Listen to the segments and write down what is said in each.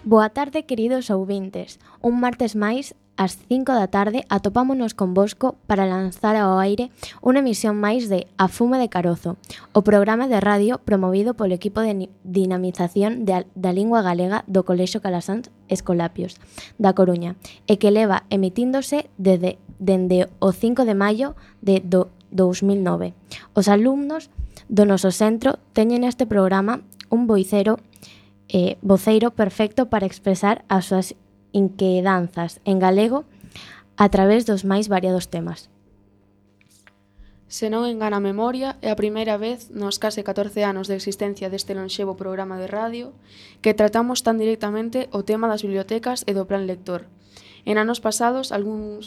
Boa tarde, queridos ouvintes. Un martes máis, ás 5 da tarde, atopámonos convosco para lanzar ao aire unha emisión máis de A Fume de Carozo, o programa de radio promovido polo equipo de dinamización da lingua galega do Colexio Calasáns Escolapios, da Coruña, e que leva emitíndose dende o 5 de maio de 2009. Os alumnos do noso centro teñen neste programa un voceiro perfecto para expresar as súas inquedanzas en galego a través dos máis variados temas. Se non engana a memoria, é a primeira vez nos case 14 anos de existencia deste lonxevo programa de radio que tratamos tan directamente o tema das bibliotecas e do plan lector. En anos pasados, algún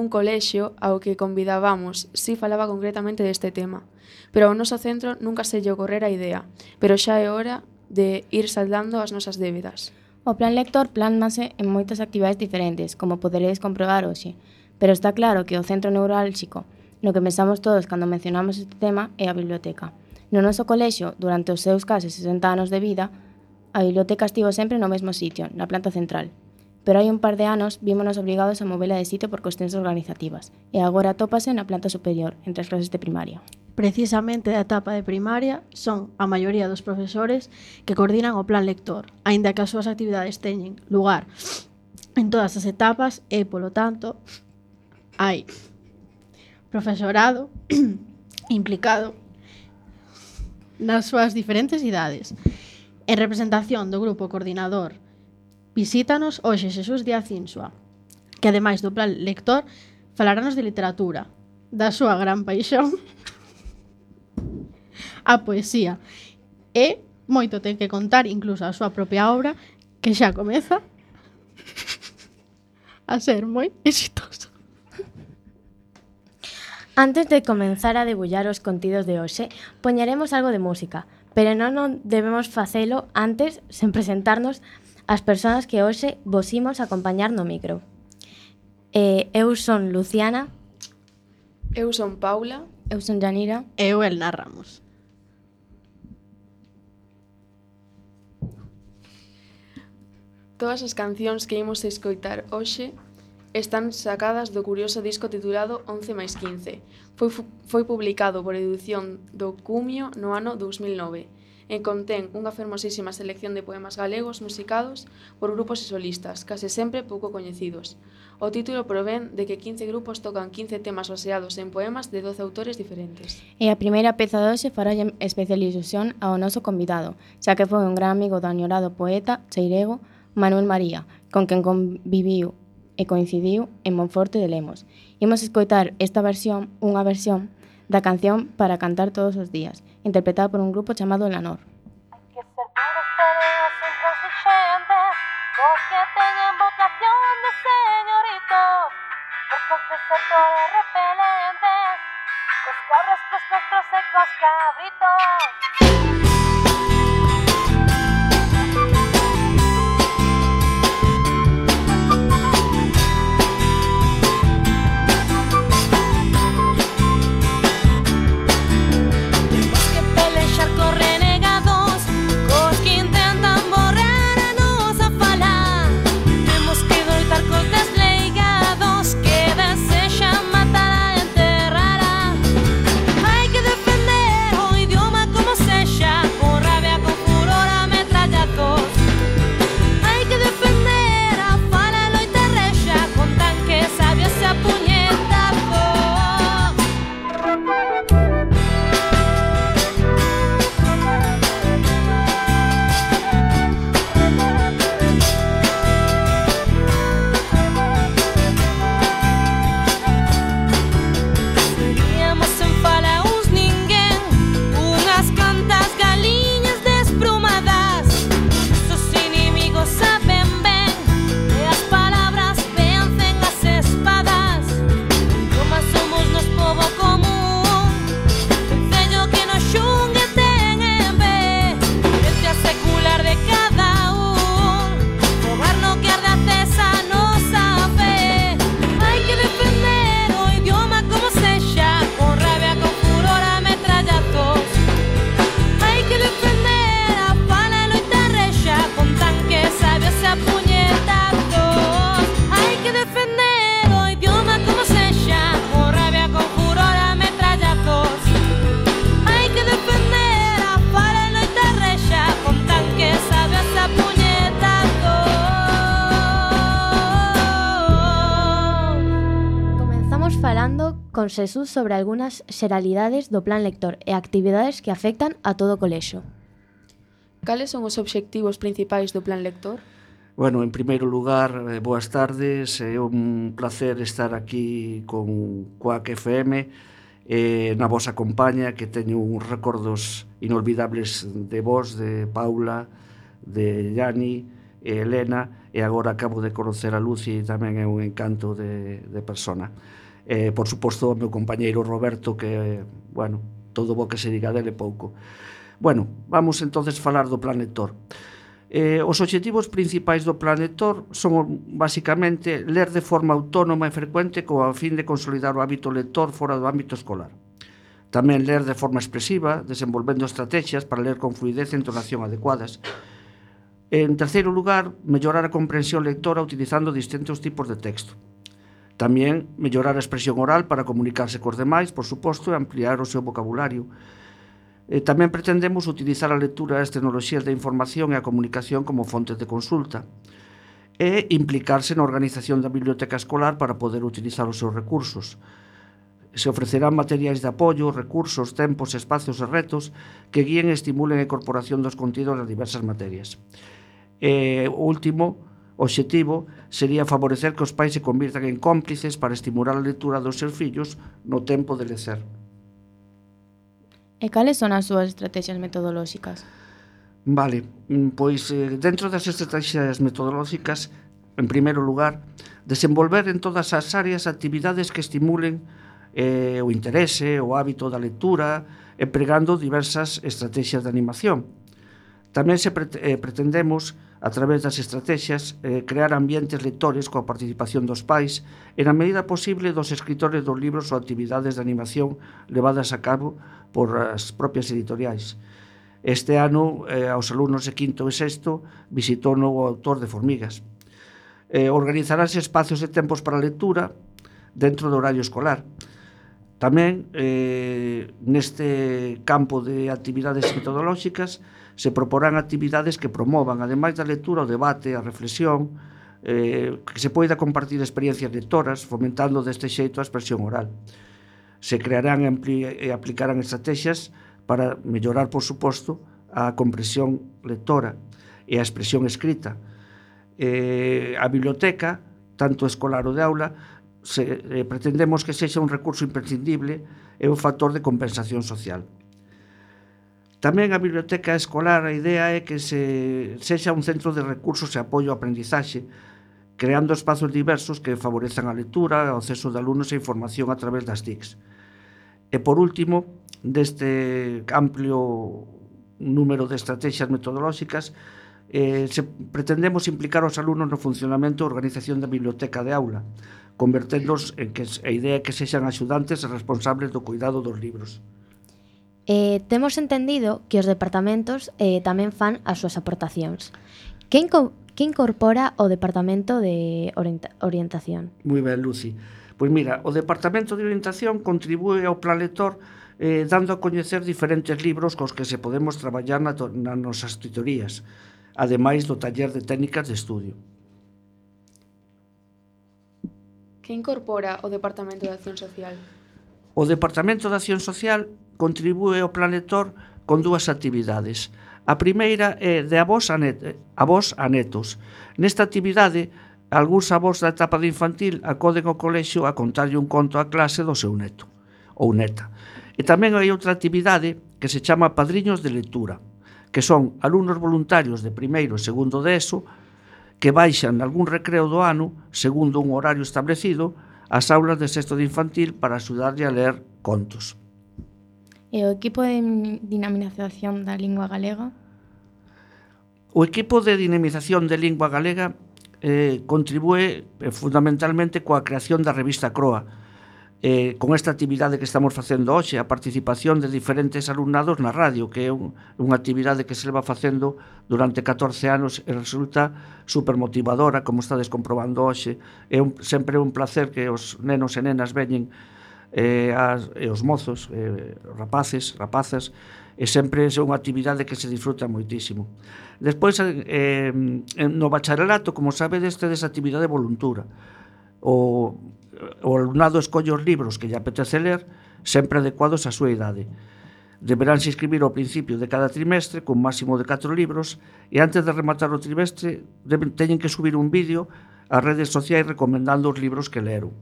colexio ao que convidábamos si falaba concretamente deste tema, pero ao noso centro nunca se lle ocorrera a idea, pero xa é hora de ir saldando as nosas débedas. O plan lector plánmase en moitas actividades diferentes, como poderedes comprobar hoxe, pero está claro que o centro neurálxico no que pensamos todos cando mencionamos este tema é a biblioteca. No noso colexio, durante os seus case 60 anos de vida, a biblioteca estivo sempre no mesmo sitio, na planta central. Pero hai un par de anos vímonos obrigados a movela de sitio por cuestións organizativas, e agora atópase na planta superior, entre as clases de primaria. Precisamente da etapa de primaria son a maioría dos profesores que coordinan o plan lector, aínda que as súas actividades teñen lugar en todas as etapas e, polo tanto, hai profesorado implicado nas súas diferentes idades. En representación do grupo coordinador, visítanos hoxe Xesús Díaz Insua, que ademais do plan lector falará-nos de literatura, da súa gran paixón a poesía, e moito ten que contar, incluso a súa propia obra, que xa comeza a ser moi exitoso. Antes de comenzar a debullar os contidos de hoxe, poñeremos algo de música, pero non debemos facelo antes sen presentarnos as persoas que hoxe vos imos acompañar no micro. Eu son Luciana. Eu son Paula. Eu son Yanira. E eu Elna Ramos. Todas as cancións que imos escoitar hoxe están sacadas do curioso disco titulado 11 máis 15. Foi publicado por Edición do Cumio no ano 2009 e contén unha fermosísima selección de poemas galegos musicados por grupos e solistas, case sempre pouco coñecidos. O título provén de que 15 grupos tocan 15 temas baseados en poemas de 12 autores diferentes. E a primeira peza de hoxe fará especial ilusión ao noso convidado, xa que foi un gran amigo do añorado poeta cheirego Manuel María, con quen conviviu e coincidiu en Monforte de Lemos. Imos escoitar unha versión da canción Para cantar todos os días, interpretada por un grupo chamado Lanor. Hai que ser duros, peleas intransigentes, os que teñen vocación de señoritos, por confesar todos repelentes, cos cabras, cos costros e cos cabritos. Hay que defender o idioma como sexa. con Xesús sobre algunhas xeralidades do plan lector e actividades que afectan a todo o colexo. Cales son os obxectivos principais do plan lector? Bueno, en primeiro lugar, boas tardes, é un placer estar aquí con Cuac FM na vosa compañía, que teño uns recordos inolvidables de vos, de Paula, de Yani e Elena, e agora acabo de conocer a Lucy, tamén é un encanto de persona. Por suposto, o meu compañeiro Roberto, que, bueno, todo o que se diga dele pouco. Bueno, vamos entonces falar do plan lector. Os obxectivos principais do plan lector son basicamente ler de forma autónoma e frecuente co a fin de consolidar o hábito lector fora do ámbito escolar. Tamén ler de forma expresiva, desenvolvendo estrategias para ler con fluidez e entonación adecuadas. En terceiro lugar, mellorar a comprensión lectora utilizando distintos tipos de texto. Tamén mellorar a expresión oral para comunicarse cos demais, por suposto, e ampliar o seu vocabulario. Tamén pretendemos utilizar a lectura e as tecnoloxías de información e a comunicación como fontes de consulta e implicarse na organización da biblioteca escolar para poder utilizar os seus recursos. Se ofrecerán materiais de apoio, recursos, tempos, espacios e retos que guíen e estimulen a incorporación dos contidos das diversas materias. O último obxectivo sería favorecer que os pais se convirtan en cómplices para estimular a lectura dos seus fillos no tempo de lecer. E cales son as súas estrategias metodolóxicas? Vale, pois dentro das estrategias metodolóxicas, en primeiro lugar, desenvolver en todas as áreas actividades que estimulen o interese, o hábito da lectura, empregando diversas estrategias de animación. Tamén pretendemos, a través das estrategias, crear ambientes lectores coa participación dos pais e, na medida posible, dos escritores dos libros ou actividades de animación levadas a cabo por as propias editoriais. Este ano, aos alumnos de quinto e sexto, visitou o novo autor de Formigas. Organizaránse espacios e tempos para a lectura dentro do horario escolar. Tamén, neste campo de actividades metodolóxicas, se proporán actividades que promovan, ademais da lectura, o debate, a reflexión, que se poida compartir experiencias lectoras, fomentando deste xeito a expresión oral. Se crearán e aplicarán estrategias para mellorar, por suposto, a comprensión lectora e a expresión escrita. A biblioteca, tanto escolar ou de aula, pretendemos que sexa un recurso imprescindible e un factor de compensación social. Tamén a biblioteca escolar, a idea é que sexa un centro de recursos e apoio ao aprendizaxe, creando espazos diversos que favorezan a lectura, o acceso de alumnos e información a través das TICs. E, por último, deste amplio número de estrategias metodolóxicas, pretendemos implicar aos alumnos no funcionamento e organización da biblioteca de aula, converténdonos en que a idea é que sexan axudantes e responsables do cuidado dos libros. Temos entendido que os departamentos tamén fan as súas aportacións. Que incorpora o Departamento de Orientación? Moi ben, Lucy. Pois mira, o Departamento de Orientación contribúe ao plan lector dando a coñecer diferentes libros cos que se podemos traballar nas nosas tutorías, ademais do taller de técnicas de estudio. Que incorpora o Departamento de Acción Social? O Departamento de Acción Social contribúe ao plan lector con dúas actividades. A primeira é de avós a netos. Nesta actividade, algúns avós da etapa de infantil acoden ao colexio a contarlle un conto á clase do seu neto ou neta. E tamén hai outra actividade que se chama Padriños de Lectura, que son alumnos voluntarios de primeiro e segundo de ESO que baixan algún recreo do ano, segundo un horario establecido, ás aulas de sexto de infantil para axudarlle a ler contos. E o equipo de dinamización da lingua galega? O equipo de dinamización de lingua galega contribúe fundamentalmente coa creación da revista Croa, con esta actividade que estamos facendo hoxe, a participación de diferentes alumnados na radio, que é unha actividade que se leva facendo durante 14 anos e resulta supermotivadora, como estades comprobando hoxe. É sempre un placer que os nenos e nenas veñen e os mozos, rapaces, rapazas, e sempre é unha actividade que se disfruta moitísimo. Despois, no bacharelato, como sabedes, tedes actividade voluntura. o alumnado escolle os libros que lle apetece ler, sempre adecuados á súa idade. Deberánse inscribir ao principio de cada trimestre con máximo de 4 libros e antes de rematar o trimestre teñen que subir un vídeo ás redes sociais recomendando os libros que leron.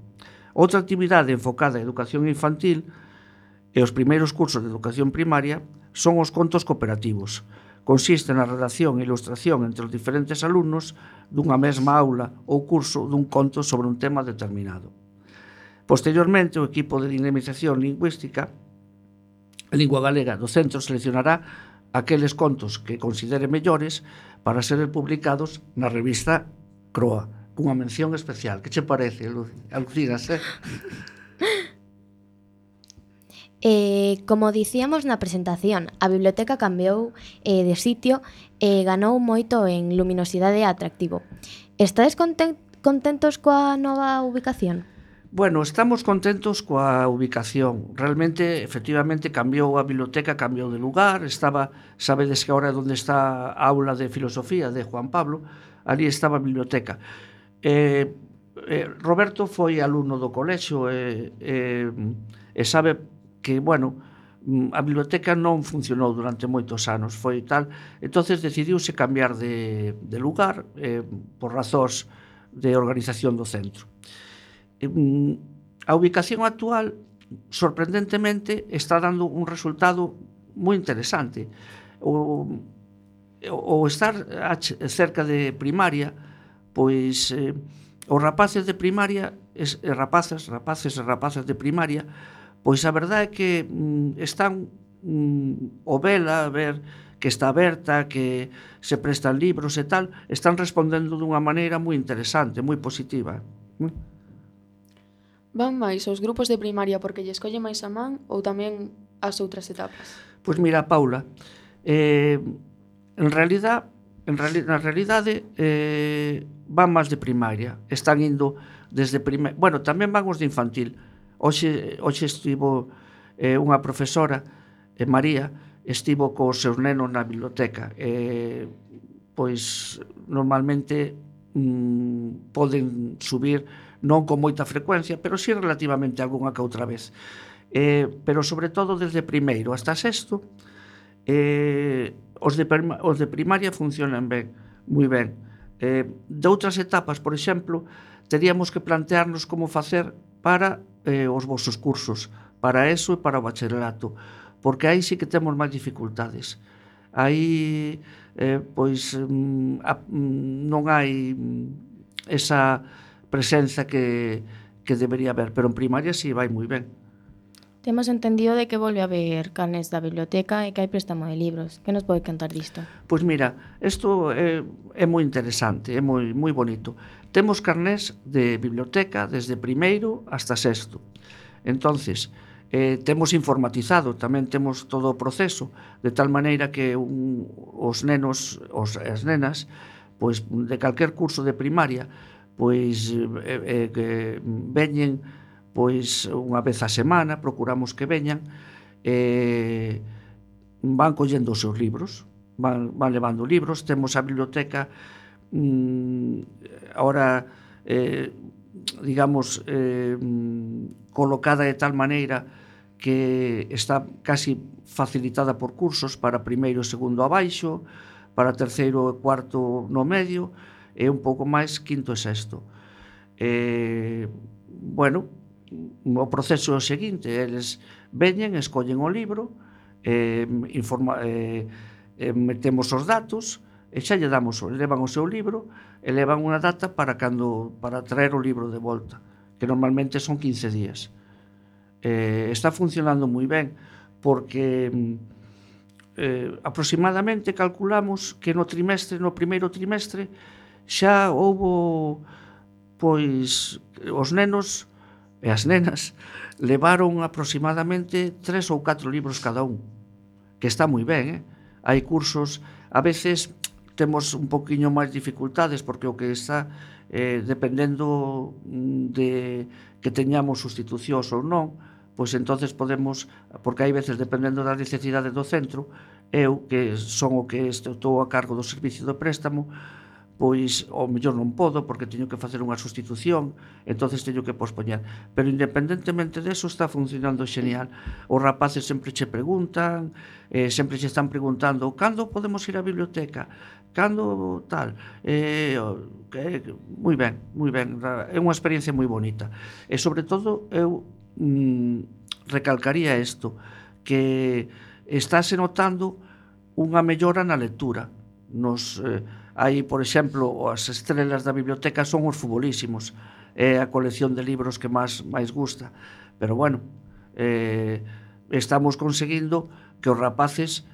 Outra actividade enfocada á educación infantil e os primeiros cursos de educación primaria son os contos cooperativos. Consiste na redacción e ilustración entre os diferentes alumnos dunha mesma aula ou curso dun conto sobre un tema determinado. Posteriormente, o equipo de dinamización lingüística en lingua galega do centro seleccionará aqueles contos que considere mellores para ser publicados na revista Croa, cunha mención especial. Que che parece, Alucinas, Como dicíamos na presentación, a biblioteca cambiou de sitio e ganou moito en luminosidade e atractivo. Estades contentos coa nova ubicación? Bueno, estamos contentos coa ubicación. Realmente, efectivamente, cambiou a biblioteca, cambiou de lugar. Sabedes que agora onde está a aula de filosofía de Juan Pablo, ali estaba a biblioteca. Roberto foi alumno do colexio e sabe que, bueno, a biblioteca non funcionou durante moitos anos, foi tal, entonces decidiuse cambiar de lugar por razóns de organización do centro. A ubicación actual, sorprendentemente, está dando un resultado moi interesante. O estar cerca de primaria, pois os rapaces de primaria, rapaces e rapazas de primaria, pois a verdade é que están o vela, a ver que está aberta, que se prestan libros e tal, están respondendo dunha maneira moi interesante, moi positiva. Van máis os grupos de primaria porque lle escolle máis a man ou tamén as outras etapas? Pois mira, Paula, na realidade van máis de primaria, están indo desde primaria, bueno, tamén van os de infantil. Hoxe estivo unha profesora, María, estivo cos seus nenos na biblioteca. Pois normalmente poden subir non con moita frecuencia, pero si relativamente algunha que outra vez. Pero sobre todo desde primeiro hasta sexto, os de primaria funcionan ben, moi ben. De outras etapas, por exemplo, teríamos que plantearnos como facer para os vosos cursos, para eso e para o bacharelato, porque aí sí que temos máis dificultades. Aí pois non hai esa presenza que debería haber, pero en primaria sí vai moi ben. Temos entendido de que volve a haber carnes da biblioteca e que hai préstamo de libros. Que nos pode contar disto? Pois mira, isto é moi interesante, é moi bonito. Temos carnés de biblioteca desde primeiro hasta sexto. Entonces, temos informatizado, tamén temos todo o proceso, de tal maneira que os nenos, as nenas, pois de calquer curso de primaria, pois que veñen pois unha vez a semana, procuramos que veñan, van collendo os seus libros, van levando libros, temos a biblioteca ahora digamos colocada de tal maneira que está casi facilitada por cursos para primeiro e segundo abaixo, para terceiro e cuarto no medio e un pouco máis quinto e sexto. Bueno, o proceso é o seguinte: eles veñen, escollen o libro, metemos os datos e xa lle damos, levan o seu libro e levan unha data para traer o libro de volta, que normalmente son 15 días. Está funcionando moi ben porque aproximadamente calculamos que no primeiro trimestre xa houbo, pois, os nenos e as nenas levaron aproximadamente 3 ou 4 libros cada un, que está moi ben, Hai cursos, a veces temos un poquinho máis dificultades porque o que está dependendo de que teñamos sustitucións ou non, pois entonces podemos, porque hai veces dependendo da necesidade do centro, eu que son o que estou a cargo do servicio do préstamo, pois ao mellor non podo porque teño que facer unha sustitución, entonces teño que pospoñer. Pero independentemente deso está funcionando xenial. Os rapaces sempre che preguntan, sempre che están preguntando cando podemos ir á biblioteca, cando tal. Moi ben, é unha experiencia moi bonita. E sobre todo eu recalcaría isto, que estáse notando unha mellora na lectura. Hai, por exemplo, as estrelas da biblioteca son os futbolísimos, é a colección de libros que máis gusta, pero bueno, estamos conseguindo que os rapaces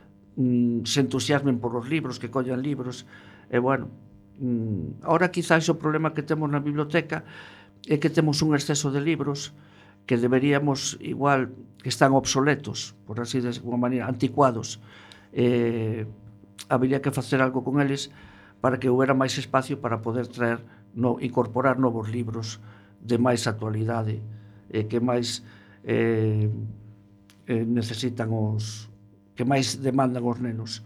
se entusiasmen por os libros, que collan libros, e bueno, ahora quizás o problema que temos na biblioteca é que temos un exceso de libros que deberíamos, igual, que están obsoletos, por así de alguma maneira, anticuados. Habería que facer algo con eles para que houbera máis espacio para poder incorporar novos libros de máis actualidade, que máis necesitan que máis demandan os nenos.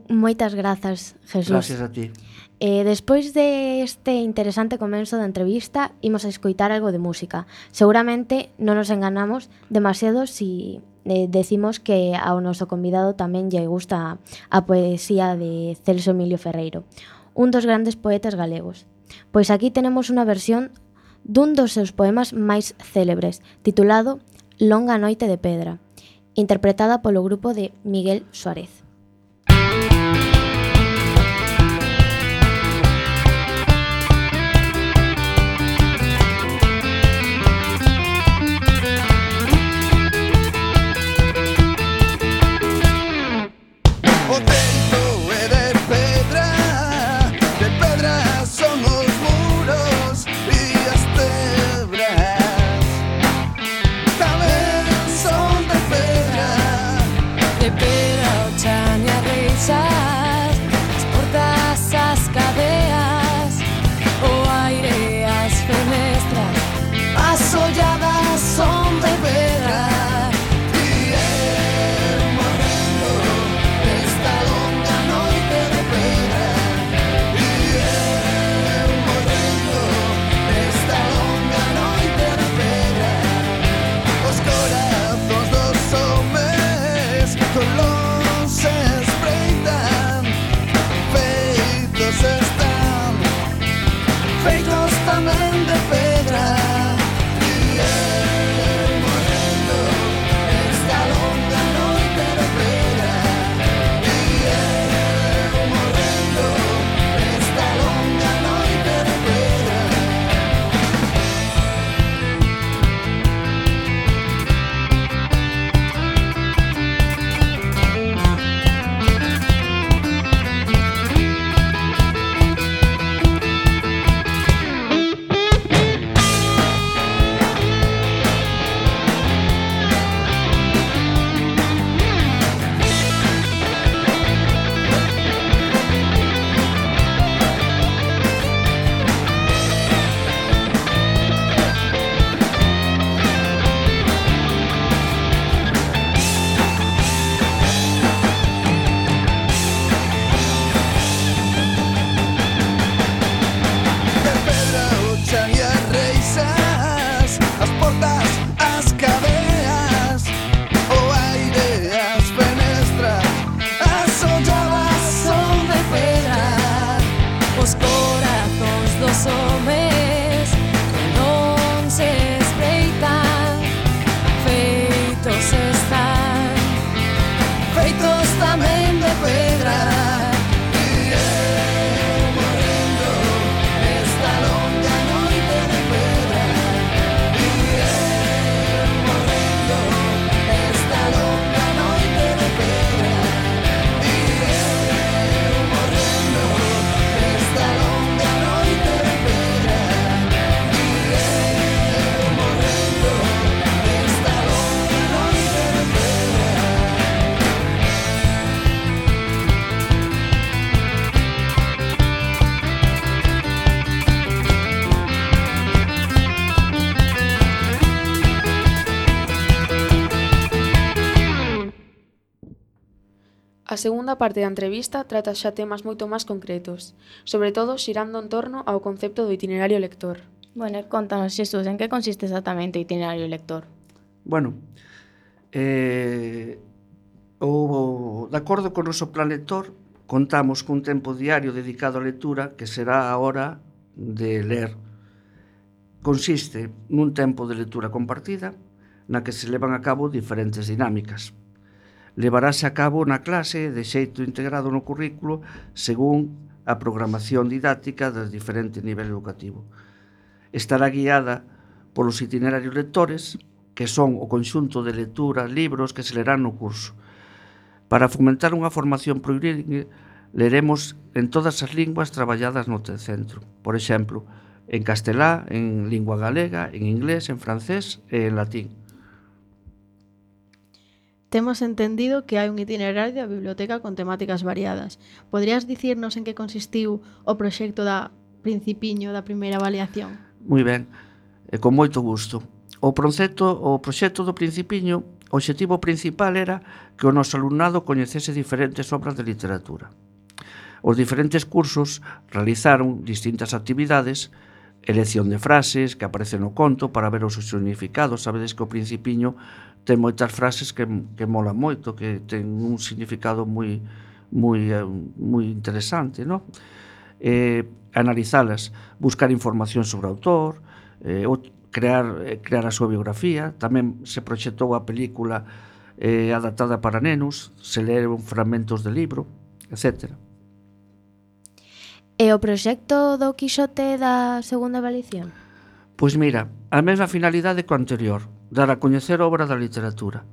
Moitas grazas, Jesús. Gracias a ti. Despois deste interesante comenzo da entrevista, imos a escoitar algo de música. Seguramente non nos enganamos demasiado si decimos que ao noso convidado tamén lle gusta a poesía de Celso Emilio Ferreiro, un dos grandes poetas galegos. Pois aquí tenemos unha versión dun dos seus poemas máis célebres, titulado Longa noite de pedra, interpretada polo grupo de Miguel Suárez. O teito é de pedra son os muros e as tebras tamén son de pedra o chan. A segunda parte da entrevista trata xa temas moito máis concretos, sobre todo xirando en torno ao concepto do itinerario lector. Bueno, contanos, Xesús, en que consiste exactamente o itinerario lector? Bueno, de acordo co noso plan lector, contamos cun tempo diario dedicado á lectura que será a hora de ler. Consiste nun tempo de lectura compartida na que se levan a cabo diferentes dinámicas. Levarase a cabo na clase de xeito integrado no currículo según a programación didáctica do diferente nivel educativo. Estará guiada polos itinerarios lectores, que son o conxunto de lecturas, libros que se lerán no curso. Para fomentar unha formación plurilingüe, leremos en todas as linguas traballadas no centro. Por exemplo, en castelá, en lingua galega, en inglés, en francés e en latín. Temos entendido que hai un itinerario da biblioteca con temáticas variadas. Poderías dicirnos en que consistiu o proxecto da Principiño da primeira avaliación? Moi ben, e con moito gusto. O proxecto do Principiño, o obxectivo principal era que o noso alumnado coñecese diferentes obras de literatura. Os diferentes cursos realizaron distintas actividades, elección de frases que aparecen no conto para ver os seus significados. Sabedes que o Principiño ten moitas frases que molan moito, que ten un significado moi interesante, non? Analizalas, buscar información sobre o autor, crear a súa biografía. Tamén se proxectou a película adaptada para nenos, se leron fragmentos de libro, etc. E o proxecto do Quixote da segunda avaliación? Pois mira, a mesma finalidade co anterior, dar a coñecer obra da literatura.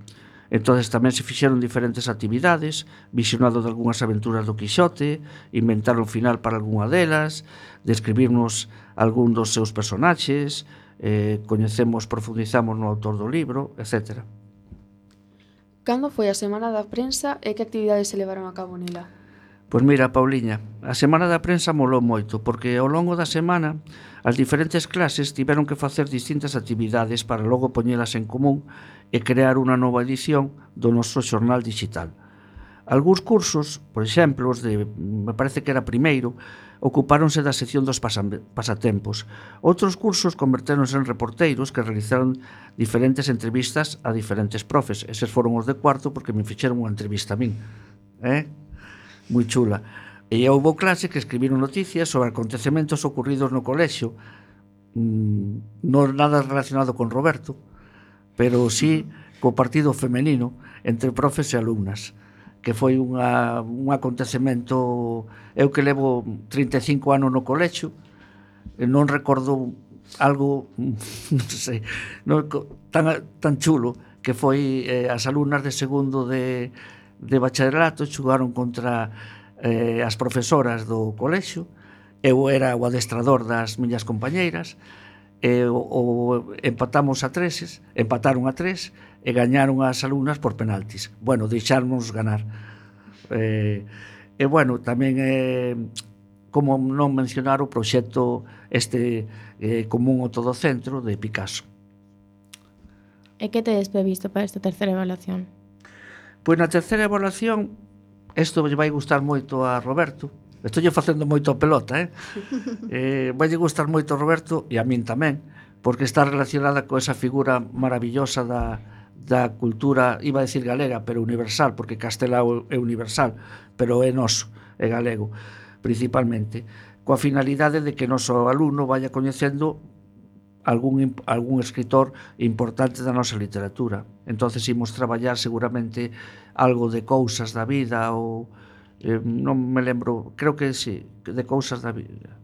Entonces tamén se fixeron diferentes actividades, visionado de algunhas aventuras do Quixote, inventar un final para algunha delas, describirnos algún dos seus personaxes, profundizamos no autor do libro, etc. Cando foi a Semana da Prensa e que actividades se levaron a cabo nela? Pois mira, Pauliña, a Semana da Prensa molou moito, porque ao longo da semana as diferentes clases tiveron que facer distintas actividades para logo poñelas en común e crear unha nova edición do noso xornal digital. Algúns cursos, por exemplo, os de, me parece que era primeiro, ocupáronse da sección dos pasatempos. Outros cursos convertéronse en reporteiros que realizaron diferentes entrevistas a diferentes profes. Eses foron os de cuarto porque me fixeron unha entrevista a min. Moi chula. E houve clase que escribiron noticias sobre acontecementos ocurridos no colexio, non nada relacionado con Roberto, pero sí co partido femenino entre profes e alumnas, que foi un acontecemento. Eu que levo 35 anos no colexio, non recordo algo, non sei, tan chulo, que foi as alumnas de segundo de bacharelato xogaron contra as profesoras do colexio. Eu era o adestrador das miñas compañeiras, empataron a 3 e gañaron as alumnas por penaltis. Bueno, deixáramos ganar. Bueno, tamén como non mencionar o proxecto común ao todo centro de Picasso. E que tedes previsto para esta terceira evaluación? Pois na terceira evaluación, isto vai gustar moito a Roberto. Estou facendo moito a pelota, vai gustar moito a Roberto e a min tamén, porque está relacionada con esa figura maravillosa da cultura, iba a decir galega, pero universal, porque castelao é universal, pero é noso, é galego, principalmente, coa finalidade de que o noso alumno vaya coñecendo algún escritor importante da nosa literatura. Entonces imos traballar seguramente algo de cousas da vida ou non me lembro, creo que sí, de cousas da vida.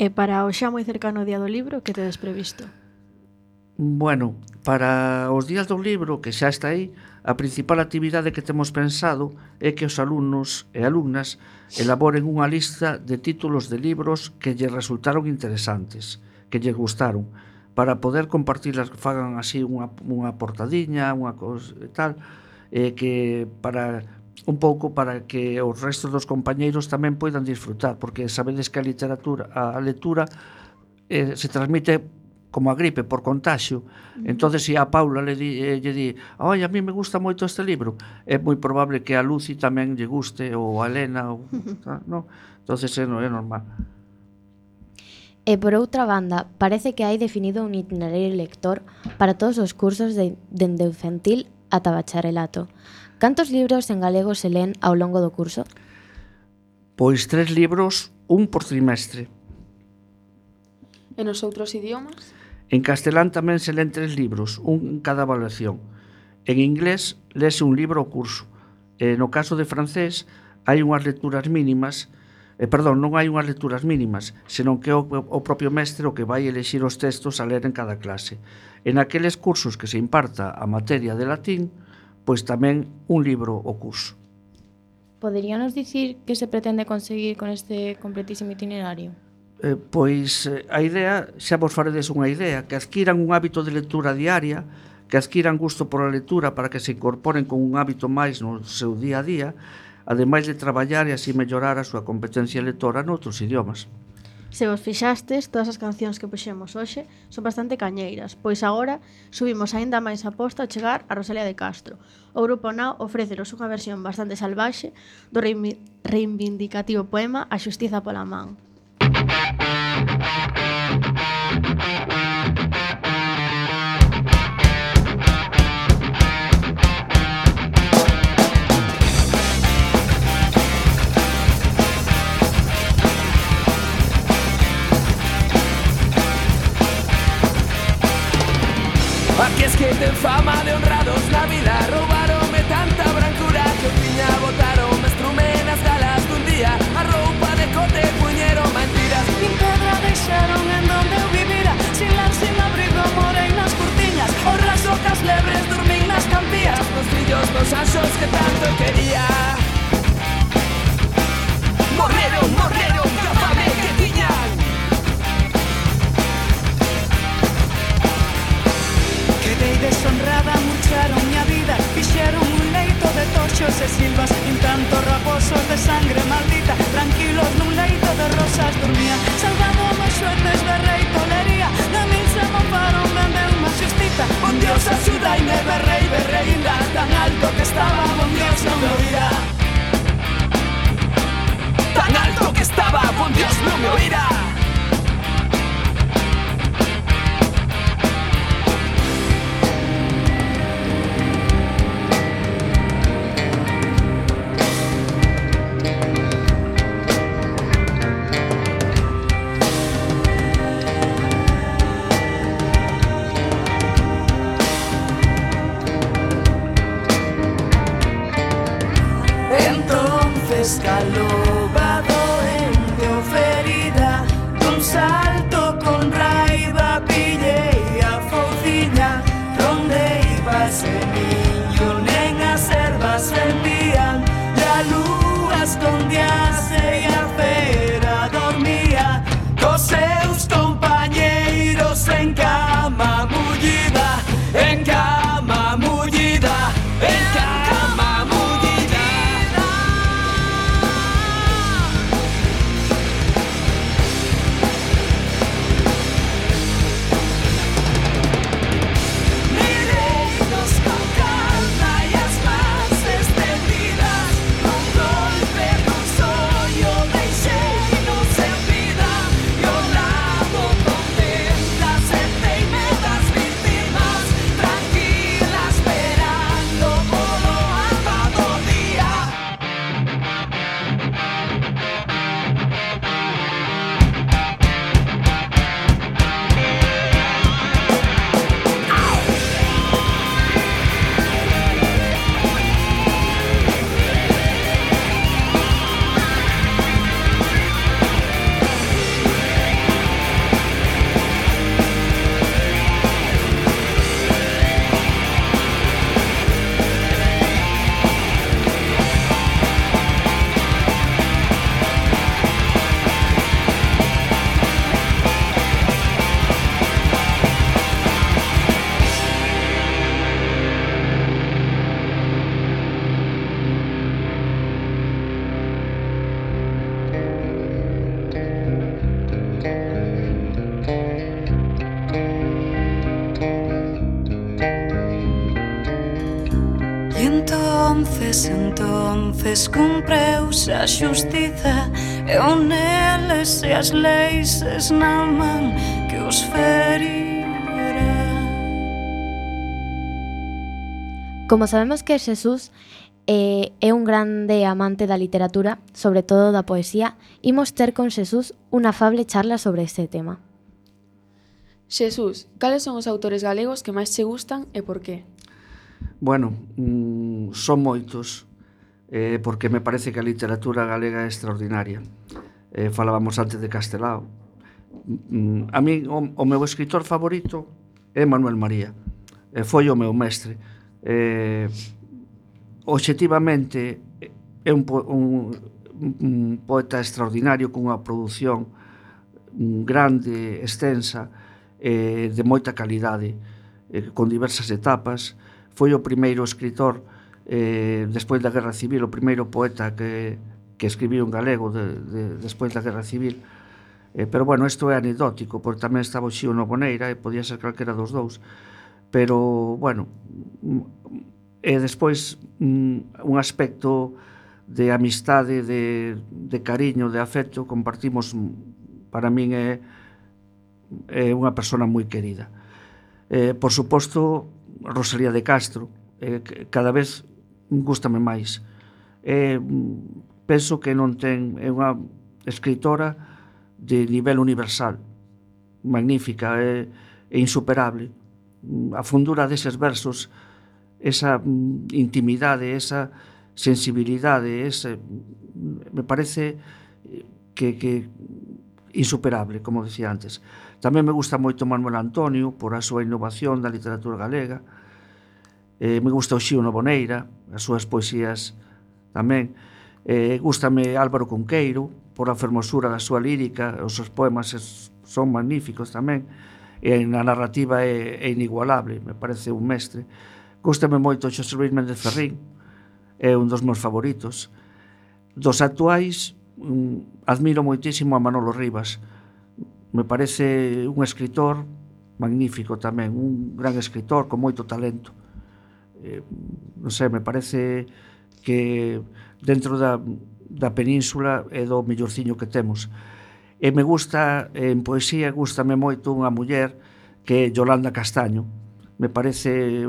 E para o xa moi cercano Día do Libro, que tedes previsto? Bueno, para os días do libro, que xa está aí, a principal actividade que temos pensado é que os alumnos e alumnas elaboren unha lista de títulos de libros que lles resultaron interesantes, que lles gustaron, para poder compartirlas, que fagan así unha portadiña, unha cosa e tal, que para un pouco para que os restos dos compañeiros tamén poidan disfrutar, porque sabedes que a lectura se transmite como a gripe por contagio. Entonces, se a Paula lle di, oi, a mí me gusta moito este libro, é moi probable que a Lucy tamén lle guste, ou a Elena, ou, no? Entonces é normal. E por outra banda, parece que hai definido un itinerario lector para todos os cursos dende o infantil ata bacharelato. Cantos libros en galego se len ao longo do curso? Pois 3 libros, un por trimestre. E nos outros idiomas? En castelán tamén se len 3 libros, un en cada evaluación. En inglés lese un libro ao curso. E no caso de francés hai unhas lecturas mínimas, non hai unhas lecturas mínimas, senón que é o propio mestre o que vai elexir os textos a ler en cada clase. En aqueles cursos que se imparta a materia de latín, pois tamén un libro ao curso. Poderíanos dicir que se pretende conseguir con este completísimo itinerario? Pois a idea, xa vos faredes unha idea, que adquiran un hábito de lectura diaria, que adquiran gusto por a lectura para que se incorporen con un hábito máis no seu día a día, ademais de traballar e así mellorar a súa competencia lectora noutros idiomas. Se vos fixastes, todas as cancións que puxemos hoxe son bastante cañeiras, pois agora subimos aínda máis a posta ao chegar a Rosalía de Castro. O grupo Nao ofrécenos unha versión bastante salvaxe do reivindicativo poema A xustiza pola man. Aquí es que ten fama de honrados na vida, roubaronme tanta brancura que un tiña botaron estrume nas galas dun día, a roupa de cote puñeron mentiras, nin pedra deixaron en donde eu vivira, sin lar, sin abrigo, morei nas curtiñas, os rasocas lebres dormín nas campías, nos fillos dos anxos que tanto quería. Morreron, morreron, que fame que tiñan. Quedei deshonrada, murcharon miña vida, fixeron un leito de toxos e silvas, un tanto raposos de sangre maldita, tranquilos nun leito de rosas dormían, salvamos xueces de rei tolería, de min se mofaron, vendeu unha xustita, bon Dios axudaime, berrei, berreinda, tan alto que estaba, bon Dios non me oirá. Tan alto que estaba, bon Dios non me oirá. Escalobado en o ferida, dun salto con raiva pillei a fouciña, donde iba ese niño, nen as ervas vendían, la lúa escondíase e a fera dormía, cos seus compañeiros en cama mullida, en cama mullida, en cama. Stop. entonces cumpreuse a xustiza e o neles e as leis esnaman que os ferira. Como sabemos que Xesús é un grande amante da literatura, sobre todo da poesía, imos ter con Xesús unha afable charla sobre este tema. Xesús, cales son os autores galegos que máis che gustan e por qué? Bueno, son moitos, porque me parece que a literatura galega é extraordinaria. Falábamos antes de Castelao. A mí, o meu escritor favorito é Manuel María. Foi o meu mestre. Obxectivamente, é un poeta extraordinario cunha produción grande, extensa, de moita calidade, con diversas etapas. Foi o primeiro escritor, despois da Guerra Civil, o primeiro poeta que escribiu en galego despois da Guerra Civil. Pero, bueno, isto é anecdótico, porque tamén estaba o Xío Noboneira, e podía ser calquera dos dous. Pero, bueno, e despois un aspecto de amistade, de cariño, de afecto, compartimos, para min é unha persona moi querida. Por suposto, Rosalía de Castro, cada vez gústame máis. Penso que non ten, é unha escritora de nivel universal, magnífica, é insuperable. A fundura deses versos, esa intimidade, esa sensibilidade, me parece que insuperable, como decía antes. Tamén me gusta moito Manuel Antonio por a súa innovación da literatura galega. Me gusta o Xío Noboneira, as súas poesías tamén. Gústame Álvaro Cunqueiro por a fermosura da súa lírica, os seus poemas son magníficos tamén, e a narrativa é inigualable, me parece un mestre. Gústame moito Xosé Luis Méndez Ferrín, é un dos meus favoritos. Dos actuais, admiro moitísimo a Manolo Rivas. Me parece un escritor magnífico tamén, un gran escritor con moito talento. Non sei, me parece que dentro da península é do mellorciño que temos. E me gusta, en poesía, gústame moito unha muller que é Yolanda Castaño. Me parece,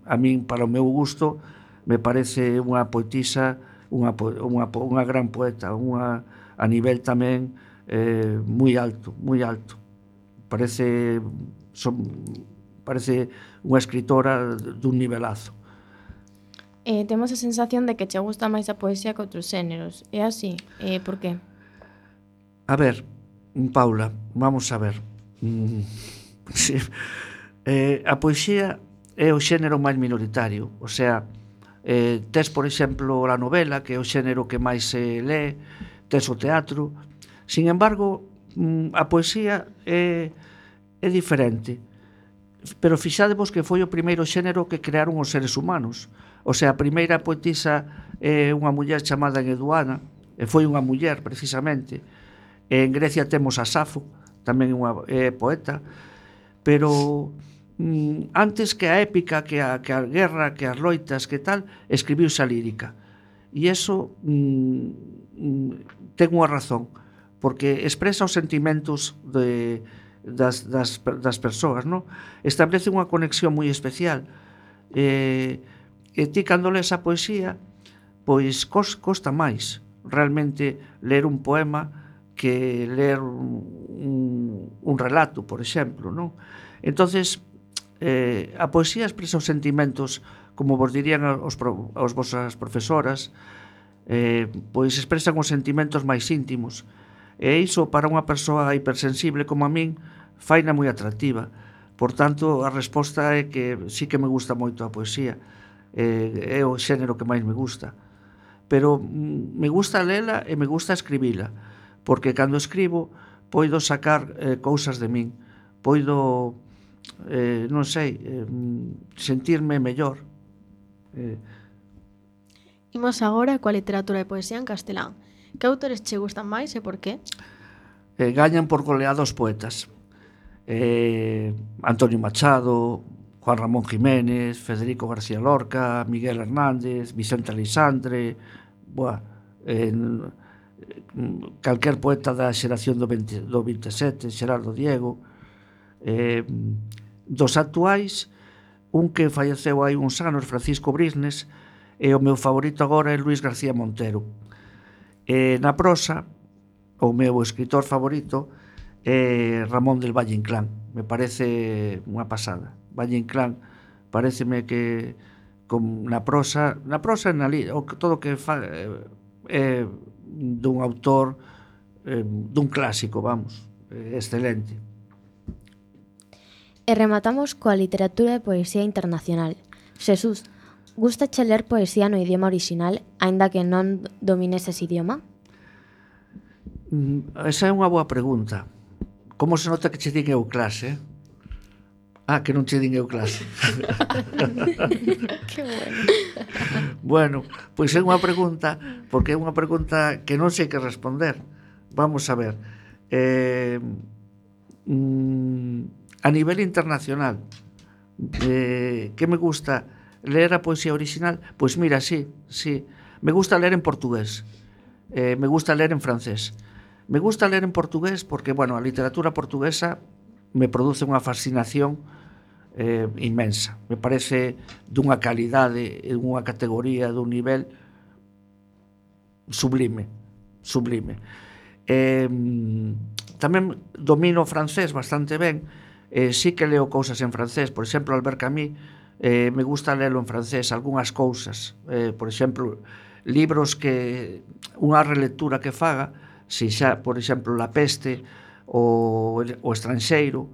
a min, para o meu gusto, me parece unha poetisa, unha gran poeta, a nivel tamén moi alto, moi alto. Parece unha escritora dun nivelazo. Temos a sensación de que che gusta máis a poesía que outros xéneros. É así? Por qué? A ver, Paula, vamos a ver. Sí. A poesía é o xénero máis minoritario. O sea, tes, por exemplo, a novela, que é o xénero que máis se lee, tes o teatro. Sin embargo, a poesía é diferente. Pero fixadevos que foi o primeiro xénero que crearon os seres humanos. O sea, a primeira poetisa é unha muller chamada Eduana, e foi unha muller, precisamente. En Grecia temos a Safo, tamén é poeta, pero antes que a épica, que a guerra, que as loitas, que tal, escribiuse a lírica. E iso ten unha razón, porque expresa os sentimentos das persoas, non? Establece unha conexión moi especial. E ti, cando lees a poesía, pois costa máis realmente ler un poema que ler un relato, por exemplo, non? Entonces, a poesía expresa os sentimentos, como vos dirían as vosas profesoras, pois expresan os sentimentos máis íntimos. E iso, para unha persoa hipersensible como a min, faina moi atractiva. Por tanto, a resposta é que sí que me gusta moito a poesía. É o xénero que máis me gusta. Pero me gusta lela e me gusta escribila, porque cando escribo poido sacar cousas de min, poido, non sei, sentirme mellor. Imos agora coa literatura e poesía en castelán. Que autores che gustan máis e por qué? Gañan por goleada os poetas. Antonio Machado, Juan Ramón Jiménez, Federico García Lorca, Miguel Hernández, Vicente Aleixandre, calquer poeta da xeración do 27, Xerardo Diego. Dos actuais, un que falleceu hai uns anos, Francisco Brisnes, e o meu favorito agora é Luis García Montero. Na prosa, o meu escritor favorito é Ramón del Valle Inclán. Me parece unha pasada. Valle Inclán pareceme que na prosa e todo o que fa é dun autor, dun clásico, vamos, excelente. E rematamos coa literatura e poesía internacional. Xesús, gustache ler poesía no idioma orixinal, aínda que non domines ese idioma? Esa é unha boa pregunta. Como se nota que che din eu clase? Que non che din eu clase. Que bueno. Bueno, pois é unha pregunta, porque é unha pregunta que non sei que responder. Vamos a ver. A nivel internacional, que me gusta ler a poesía original? Pois mira, sí. Me gusta ler en portugués. Me gusta ler en francés. Me gusta ler en portugués porque, bueno, a literatura portuguesa me produce unha fascinación inmensa. Me parece dunha calidade, dunha categoría, dun nivel sublime. Tamén domino o francés bastante ben. Sí que leo cousas en francés. Por exemplo, Albert Camus, me gusta lelo en francés, algunhas cousas. Por exemplo, libros que unha relectura que faga, se xa, por exemplo, La Peste ou O Estranxeiro,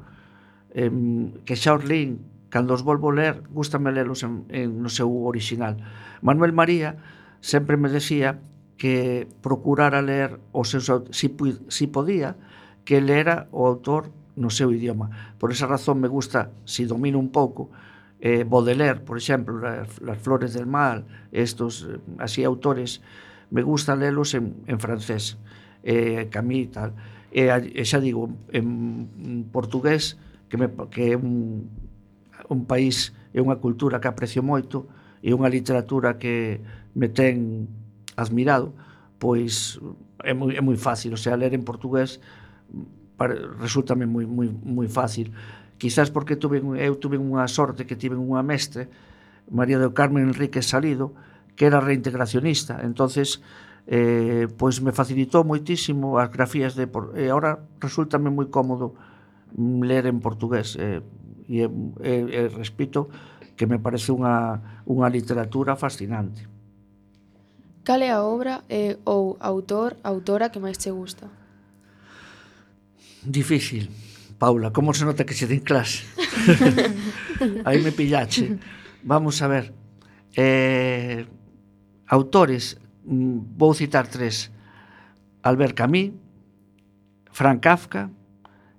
que xa os lín, cando os volvo ler, gústame lelos no seu original. Manuel María sempre me decía que procurara ler os seus, si podía, que lera o autor no seu idioma. Por esa razón me gusta, si domino un pouco, Baudelaire, por exemplo, Las Flores del Mal, estos así autores, me gusta lelos en francés, Camus e tal. E xa digo, en portugués, que é un país e unha cultura que aprecio moito, e unha literatura que me ten admirado, pois é moi fácil, o sea, ler en portugués resúltame moi fácil. Quizás porque eu tuve unha sorte que tive unha mestre, María do Carmen Enríquez Salido, que era reintegracionista, entonces pois me facilitou moitísimo as grafías e agora resúltame moi cómodo ler en portugués, e repito que me parece unha literatura fascinante. Cal é a obra ou autora que máis che gusta? Difícil, Paula, como se nota que se din clase? Aí me pillache. Vamos a ver. Autores, vou citar 3. Albert Camus, Franz Kafka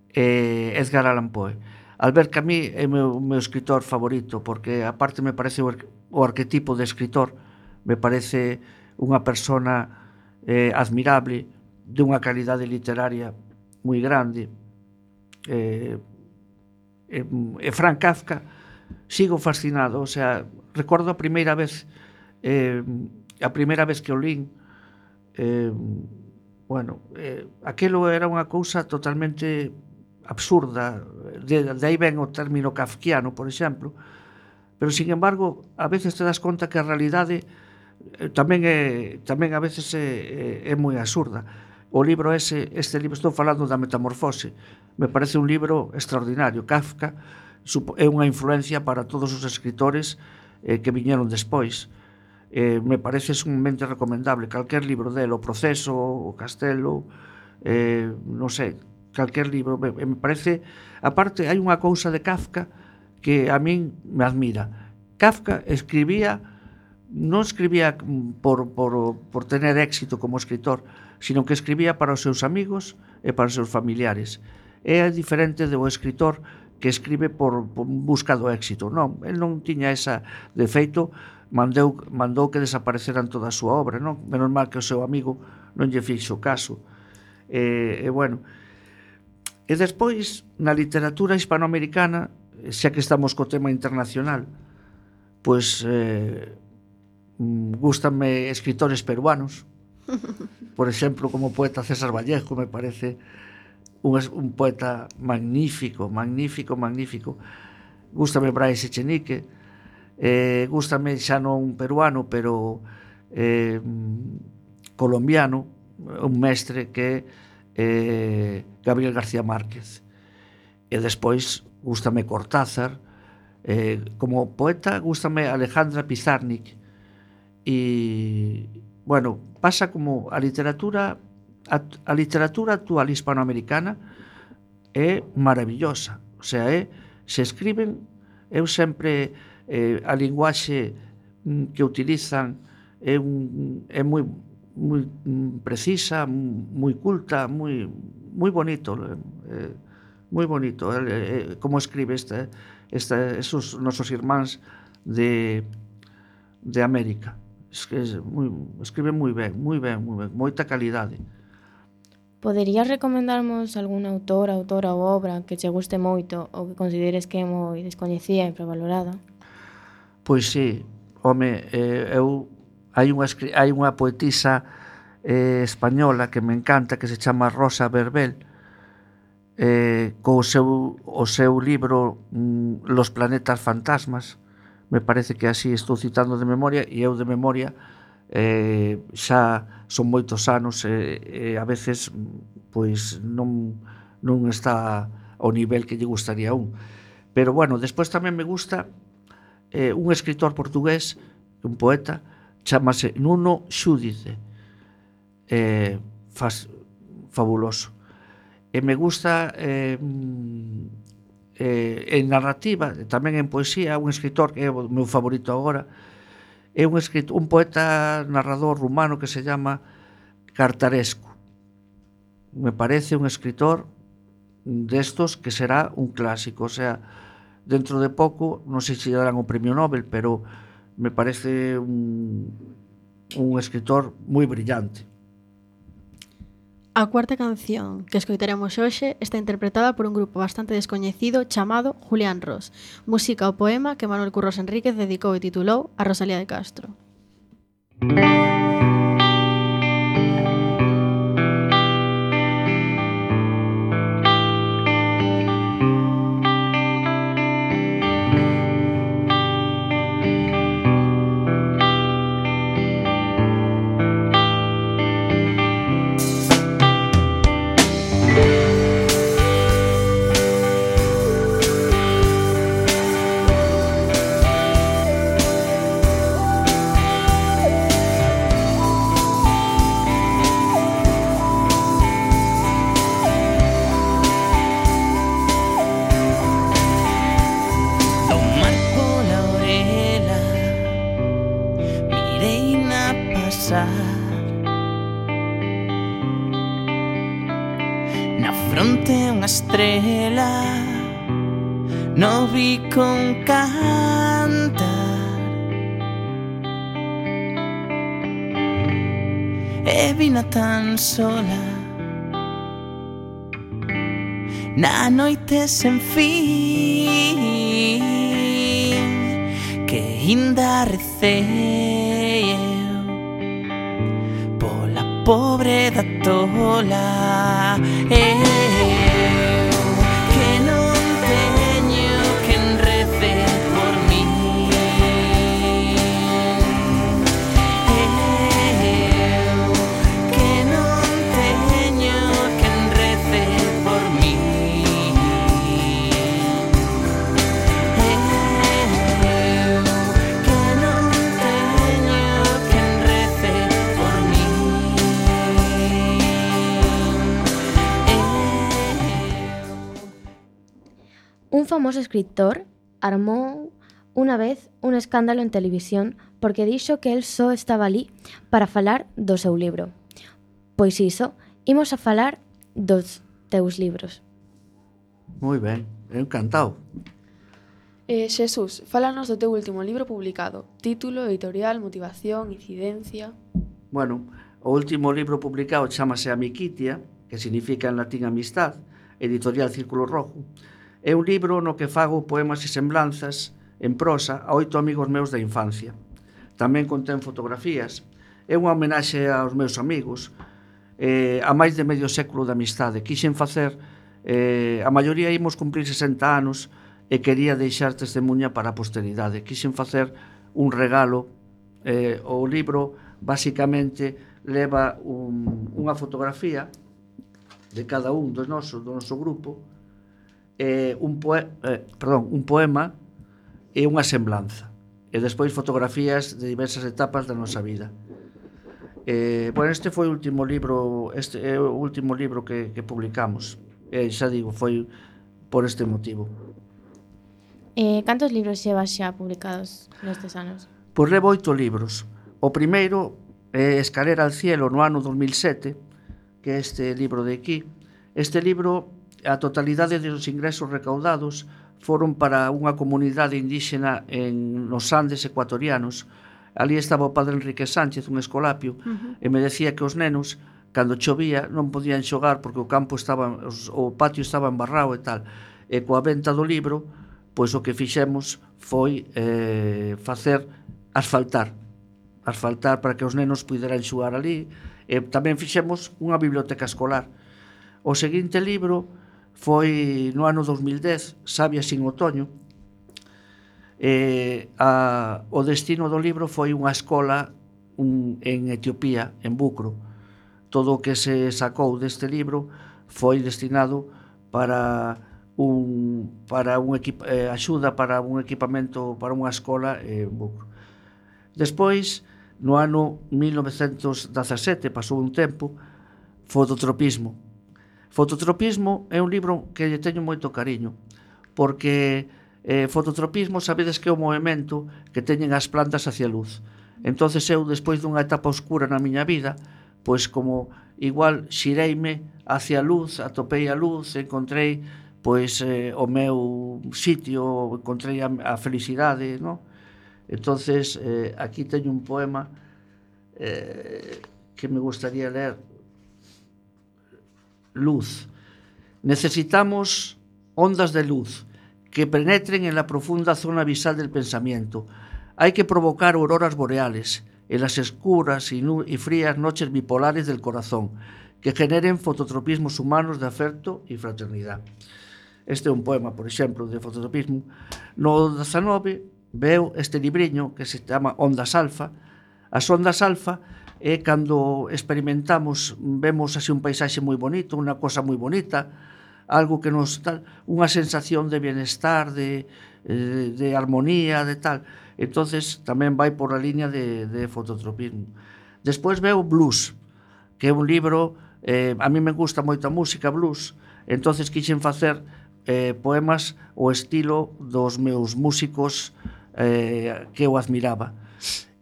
e Edgar Allan Poe. Albert Camus é o meu escritor favorito porque, aparte, me parece o arquetipo de escritor, me parece unha persona admirable, de unha calidade literaria moi grande. Franz Kafka, sigo fascinado, o sea, recordo a primeira vez que o lín, aquilo era unha cousa totalmente absurda, de aí ven o término kafkiano, por exemplo, pero, sin embargo, a veces te das conta que a realidade tamén a veces é moi absurda. O libro este libro, estou falando da Metamorfose, me parece un libro extraordinario. Kafka é unha influencia para todos os escritores que viñeron despois. Me parece sumamente recomendable calquer libro dele, O Proceso, O Castelo, non sei, calquer libro. Me parece, aparte, hai unha cousa de Kafka que a min me admira. Kafka non escribía por tener éxito como escritor, sino que escribía para os seus amigos e para os seus familiares. É diferente do escritor que escribe por busca do éxito. Non, el non tiña esa. De feito, mandou que desapareceran toda a súa obra, non? Menos mal que o seu amigo non lle fixo caso. E despois, na literatura hispanoamericana, xa que estamos co tema internacional, pois gústanme escritores peruanos. Por exemplo, como o poeta César Vallejo, me parece un poeta magnífico. Gústame Brais Echenique, gústame xa non peruano, pero colombiano, un mestre que é Gabriel García Márquez. E despois gústame Cortázar, como poeta gústame Alejandra Pizarnik. E, bueno, pasa como a literatura actual hispanoamericana é maravillosa. O sea, se escriben, eu sempre a linguaxe que utilizan é moi precisa, moi culta, moi bonito, moi bonito como escribe esos nosos irmáns de América. Escribe moi ben, moita calidade. Poderías recomendarmos algún autora ou obra que che guste moito ou que consideres que é moi descoñecida e infravalorada? Pois sí, home, hai unha poetisa española que me encanta, que se chama Rosa Verbel, co seu libro Los planetas fantasmas. Me parece que así estou citando de memoria, e eu de memoria xa son moitos anos e a veces pois non está ao nivel que lle gustaría a un. Pero bueno, despois tamén me gusta un escritor portugués, un poeta, chamase Nuno Xúdice, fabuloso. E me gusta en narrativa, tamén en poesía, un escritor que é o meu favorito agora, é un poeta narrador rumano que se llama Cartarescu. Me parece un escritor destos que será un clásico, o sea, dentro de pouco, non sei se darán o premio Nobel, pero me parece un escritor moi brillante. A cuarta canción que escoitaremos hoxe está interpretada por un grupo bastante descoñecido chamado Julián Ros, música ao poema que Manuel Curros Enríquez dedicou e titulou A Rosalía de Castro. Na fronte unha estrela, no vi con cantar, e vina tan sola na noite sen fin, que inda recei eu pola pobre da tola. Eu que non teño quen rece por mí, eu que non teño quen rece por mí, eu que non teño quen rece por mí. Un famoso escritor armou unha vez un escándalo en televisión porque dixo que el só estaba ali para falar do seu libro. Pois iso, imos a falar dos teus libros. Moi ben, encantado. Xesús, fálanos do teu último libro publicado. Título, editorial, motivación, incidencia... Bueno, o último libro publicado chamase Amicitia, que significa en latín amistad, editorial Círculo Rojo. É un libro no que fago poemas e semblanzas en prosa a 8 amigos meus da infancia. Tamén contén fotografías. É unha homenaxe aos meus amigos, a máis de medio século de amistade. Quixen facer, a maioría imos cumprir 60 anos e quería deixar testemunha para a posteridade. Quixen facer un regalo. O libro basicamente leva unha fotografía de cada un do noso grupo, un poema e unha semblanza, e despois fotografías de diversas etapas da nosa vida. Este foi o último libro, é o último libro que publicamos, e xa digo, foi por este motivo. Cantos libros xevas xa publicados nestes anos? Pois levo 8 libros. O primeiro é Escalera al cielo, no ano 2007, que é este libro de aquí. Este libro, a totalidade dos ingresos recaudados foron para unha comunidade indígena nos Andes ecuatorianos. Ali estaba o padre Enrique Sánchez, un escolapio, e me decía que os nenos, cando chovía, non podían xogar porque o patio estaba embarrado e tal. E coa venta do libro, pois o que fixemos foi facer asfaltar para que os nenos puderan xogar ali, e tamén fixemos unha biblioteca escolar. O seguinte libro foi no ano 2010, Sabia sin Otoño. O destino do libro foi unha escola en Etiopía, en Bucro. Todo o que se sacou deste libro foi destinado para axuda para un equipamento para unha escola en Bucro. Despois, no ano 1917, pasou un tempo, Fototropismo. Fototropismo é un libro que lle teño moito cariño, porque fototropismo sabedes que é o movimento que teñen as plantas hacia a luz. Entonces eu, despois dunha etapa oscura na miña vida, pois como igual xireime hacia a luz, atopei a luz, encontrei pois o meu sitio, encontrei a felicidade, non? Entonces, aquí teño un poema que me gustaría ler. Luz. Necesitamos ondas de luz que penetren en la profunda zona visal del pensamiento. Hay que provocar auroras boreales en las oscuras y frías noches bipolares del corazón, que generen fototropismos humanos de afecto y fraternidad. Este é un poema, por exemplo, de fototropismo. No 19 veo este libriño que se chama Ondas Alfa. As ondas alfa é cando experimentamos, vemos así un paisaxe moi bonito, unha cosa moi bonita, algo que nos tal, unha sensación de bienestar, de armonía, de tal. Entonces tamén vai por a liña de fototropismo. Despois veo Blues, que é un libro, a mí me gusta moito a música blues, entonces quixen facer poemas o estilo dos meus músicos que eu admiraba.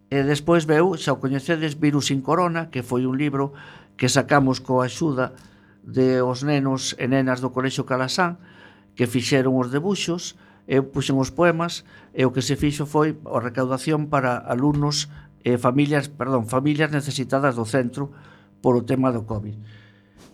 E despois veu, xa o coñecedes, Virus sin Corona, que foi un libro que sacamos coa axuda de os nenos e nenas do Colexio Calasán, que fixeron os debuxos, eu puxen os poemas, e o que se fixo foi a recaudación para alumnos e familias necesitadas do centro por o tema do COVID.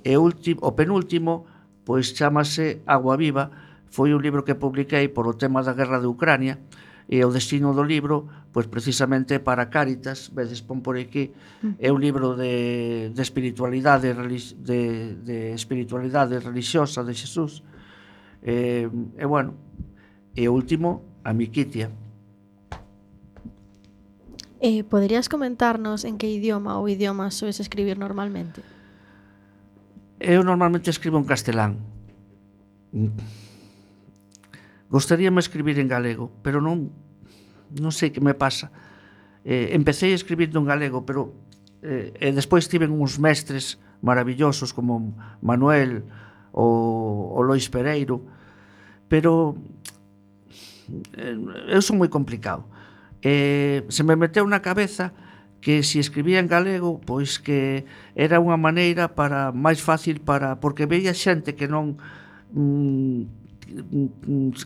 E o penúltimo, pois chamase Agua Viva, foi un libro que publiquei por o tema da guerra de Ucrania, e o destino do libro, pois precisamente para Cáritas, vedes, pon por aquí, é un libro de espiritualidade religiosa de Xesús. E bueno, e o último, a Miquitia. Poderías comentarnos en que idioma ou idiomas soes escribir normalmente? Eu normalmente escribo en castelán. Gostaríame escribir en galego, pero non sei que me pasa. Empecé escribindo en galego, pero despois tiven uns mestres maravillosos como Manuel ou Lois Pereiro, pero eu son moi complicado. Se me meteu na cabeza que se escribía en galego, pois que era unha maneira máis fácil porque veía xente que non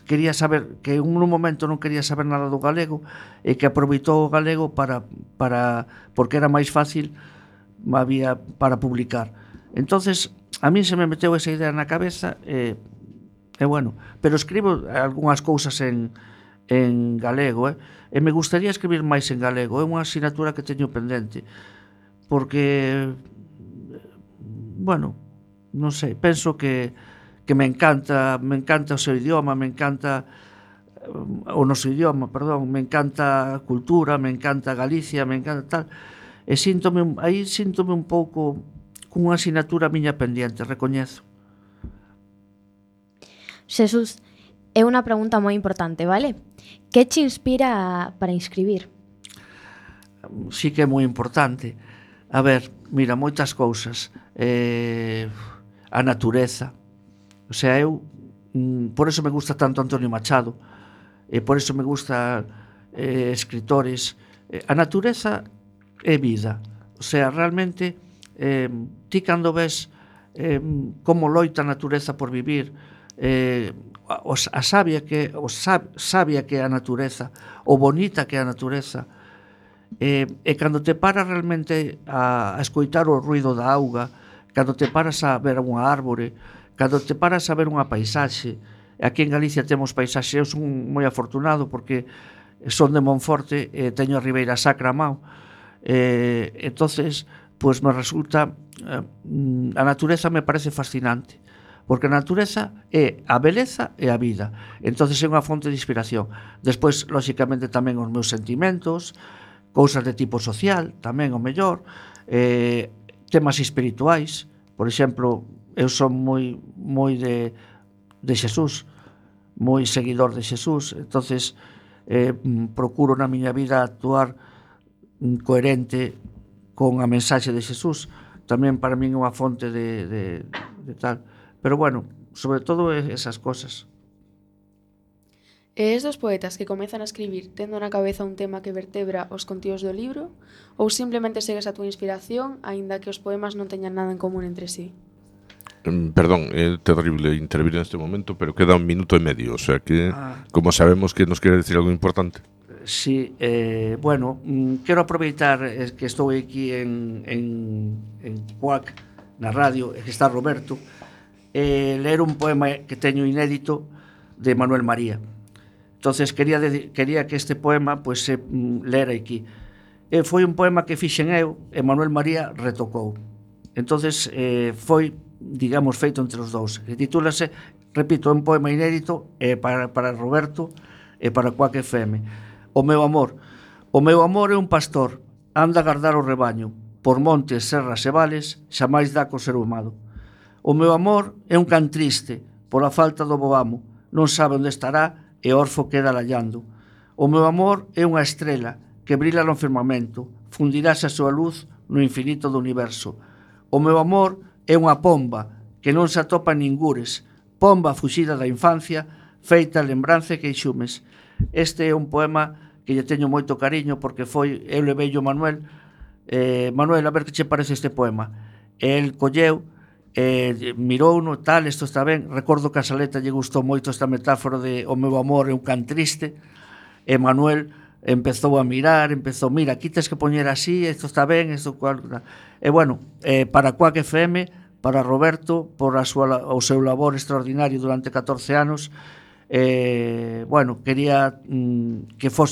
quería saber, que en un momento non quería saber nada do galego e que aproveitou o galego porque era máis fácil para publicar. Entonces a mí se me meteu esa idea na cabeza e bueno, pero escribo algunhas cousas en galego, e me gustaría escribir máis en galego, é unha asignatura que teño pendente, porque, bueno, non sei, penso que me encanta o seu idioma, me encanta o noso idioma, perdón, me encanta a cultura, me encanta Galicia, me encanta tal, e síntome un pouco cunha asignatura miña pendiente, recoñezo. Xesús, é unha pregunta moi importante, vale? Que te inspira para escribir? Sí que é moi importante. A ver, mira, moitas cousas. A natureza. O sea, por eso me gusta tanto Antonio Machado, por eso me gusta escritores. A natureza é vida. O sea, realmente, ti cando ves como loita a natureza por vivir, a sabia que é a natureza, o bonita que é a natureza, e cando te paras realmente a escoitar o ruido da auga, cando te paras a ver unha árbore, cando te paras a ver unha paisaxe, aquí en Galicia temos paisaxe, eu son moi afortunado porque son de Monforte e teño a Ribeira Sacra a mao, entonces pois me resulta a natureza me parece fascinante, porque a natureza é a beleza e a vida, entonces é unha fonte de inspiración. Despois, lóxicamente, tamén os meus sentimentos, cousas de tipo social, tamén o mellor, temas espirituais, por exemplo, eu son moi de Xesús, moi seguidor de Xesús, entonces procuro na miña vida actuar coherente con a mensaxe de Xesús, tamén para min é unha fonte de tal, pero bueno, sobre todo esas cosas. E es dos poetas que comezan a escribir tendo na cabeza un tema que vertebra os contidos do libro, ou simplemente segues a túa inspiración, aínda que os poemas non teñan nada en común entre sí? Perdón, é terrible intervir neste momento, pero queda 1 minuto e medio, o sea que, como sabemos que nos quere decir algo importante. Sí, bueno, quero aproveitar que estou aquí en Cuac, na radio, que está Roberto, ler un poema que teño inédito de Manuel María. Entonces quería que este poema pues, se lera aquí. Foi un poema que fixen eu e Manuel María retocou. Entonces foi, digamos, feito entre os dous. Titúlase, repito, un poema inédito para Roberto e para Cuac FM. O meu amor é un pastor, anda a gardar o rebaño, por montes, serras e vales, xamais dá co ser humano. O meu amor é un can triste, pola falta do bo amo, non sabe onde estará e orfo queda lallando. O meu amor é unha estrela que brila no firmamento, fundirase a súa luz no infinito do universo. O meu amor é unha pomba que non se atopa en ningures, pomba fuxida da infancia, feita lembranza e queixumes. Este é un poema que lle teño moito cariño porque eu leveillo Manuel, Manuel, a ver que che parece este poema. El colleu, mirouno, tal, isto está ben. Recordo que a Saleta lle gustou moito esta metáfora de o meu amor é un can triste, e Manuel empezou a mirar, mira, aquí tens que poñer así, isto está ben, isto cual. E bueno, para Cuac FM, para Roberto, por o seu labor extraordinario durante 14 anos, bueno, quería que fose